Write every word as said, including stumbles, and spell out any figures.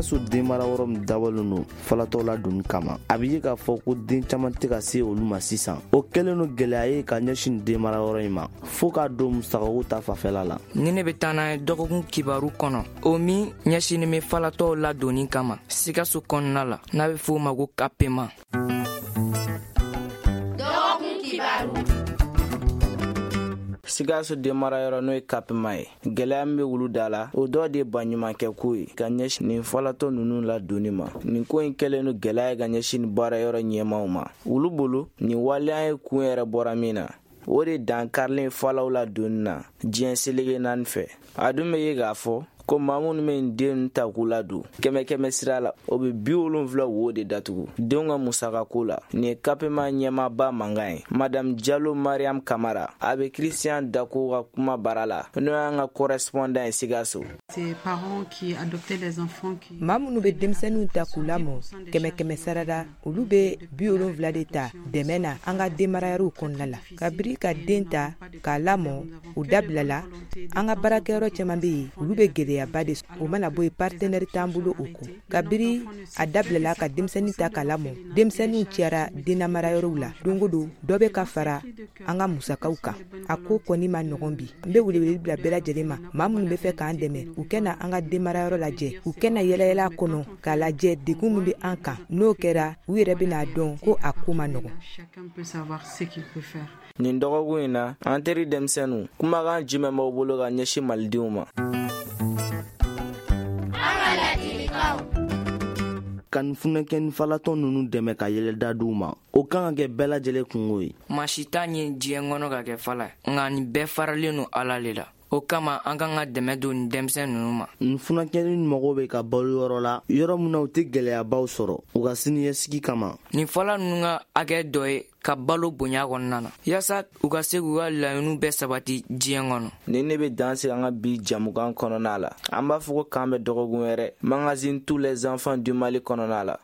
Sikaso denmara yɔrɔ min dabɔlen don falatɔw ladonni kama, a bɛ ye k'a fɔ ko den caman tɛ ka se olu ma sisan. O kɛlen don gɛlɛya ye ka ɲɛsin denmara yɔrɔ in ma, fo k'a don musakako ta fanfɛla la. Ni ne bɛ taa n'a ye dɔgɔkun kibaru kɔnɔ, o min ɲɛsinnen bɛ falatɔw ladonni kama Sikaso kɔnɔna la, n'a bɛ f'o ma ko kapema. Dɔgɔkun kibaru. Sikaso denmarayɔrɔ, n'o ye kapema ye, gɛlɛya min bɛ wulu da la, o dɔ de ye baɲumankɛko ye ka ɲɛsin nin falatɔ ninnu ladonni ma. Nin ko in kɛlen don gɛlɛya ye ka ɲɛsin nin baarayɔrɔ ɲɛmaaw ma. Olu bolo, nin waleya ye kun yɛrɛ bɔra min na, o de dankarilen falaw ladonni na diɲɛ seleke naani fɛ. A dun bɛ ye k'a fɔ ko maa minnu bɛ nin den ta k'u ladon, kɛmɛ kɛmɛ sira la, o bɛ bi wolonfila wo de datugu denw ka musakako la. Nin ye kapema ɲɛmaaba mankan ye, Madame Jalo Mariam Kamara. A bɛ Christian Dako ka kuma baara la, n'o y'an ka correspondant ye Sikaso. Maa minnu bɛ denmisɛnninw ta k'u lamɔ, kɛmɛ kɛmɛ sarada, olu bɛ bi wolonfila de ta dɛmɛ na an ka denmarayɔrɔw kɔnɔna la. Kabiri ka den ta k'a lamɔ o dabilala, an ka baarakɛyɔrɔ caman bɛ yen, olu bɛ gɛlɛyaba de. O mana bɔ yen, partenaire t'an bolo o kɔ. Kabiri a dabilala ka denmisɛnnin ta k'a lamɔ, denmisɛnninw cayara dennamarayɔrɔw la. Don o don, dɔ bɛ ka fara an ka musakaw kan. A ko kɔni ma nɔgɔn bi. N bɛ welewele bila bɛɛ lajɛlen ma, maa minnu bɛ fɛ k'an dɛmɛ, u kɛna an ka denmarayɔrɔ lajɛ, u kɛna yɛlɛyɛlɛ a kɔnɔ k'a lajɛ degun min bɛ an kan. N'o kɛra, u yɛrɛ bɛna dɔn ko a ko ma nɔgɔn. Nin dɔgɔkun in na, an teri denmisɛnninw, kumakan jumɛn b'aw bolo ka ɲɛsin malidenw ma? Ka nin funɛkɛni falatɔ ninnu dɛmɛ ka yɛlɛda d'u ma, o kan ka kɛ bɛɛ lajɛlen kungo ye. Maa si t'a ɲini diɲɛ kɔnɔ ka kɛ fala ye, nka nin bɛɛ faralen don Ala le la. O kama, an kan ka dɛmɛ don nin denmisɛn ninnu ma. Nin funakɛni mago bɛ ka balo yɔrɔ la, yɔrɔ min na u tɛ gɛlɛyabaw sɔrɔ u ka siniɲɛsigi kama. Nin fɔla ninnu ka hakɛ dɔ ye ka balo bonya kɔnɔna na, yaasa u ka se k'u ka laɲiniw bɛɛ sabati diɲɛ kɔnɔ. Nin ne bɛ dan sigi an ka bi jamukan kɔnɔna la. An b'a fɔ ko k'an bɛ dɔgɔkun wɛrɛ, magazine Tous les enfants du Mali kɔnɔna la.